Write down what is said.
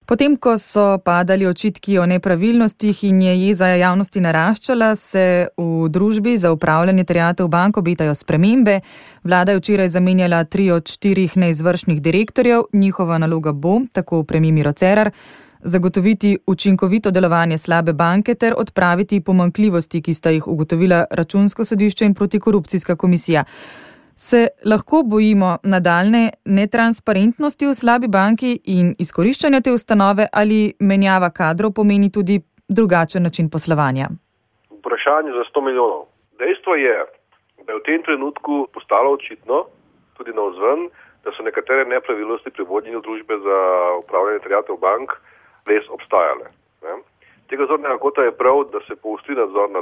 Potem, ko so padali očitki o nepravilnostih in je jeza javnosti naraščala, se v družbi za upravljanje terjatev bank obetajo spremembe. Vlada je včeraj zamenjala 3 od 4 neizvršnih direktorjev. Njihova naloga bo, tako premier Miro Cerar, zagotoviti učinkovito delovanje slabe banke ter odpraviti pomanjkljivosti, ki sta jih ugotovila Računsko sodišče in protikorupcijska komisija. Se lahko bojimo nadaljne netransparentnosti v slabi banki in izkoriščanja te ustanove ali menjava kadrov pomeni tudi drugačen način poslovanja? Vprašanje za 100 milijonov. Dejstvo je, da je v tem trenutku postalo očitno, tudi navzven, da so nekatere nepravilnosti pri vodenju družbe za upravljanje terjatev bank res obstajale. Tega zornega kota je prav, da se poostri nadzor nad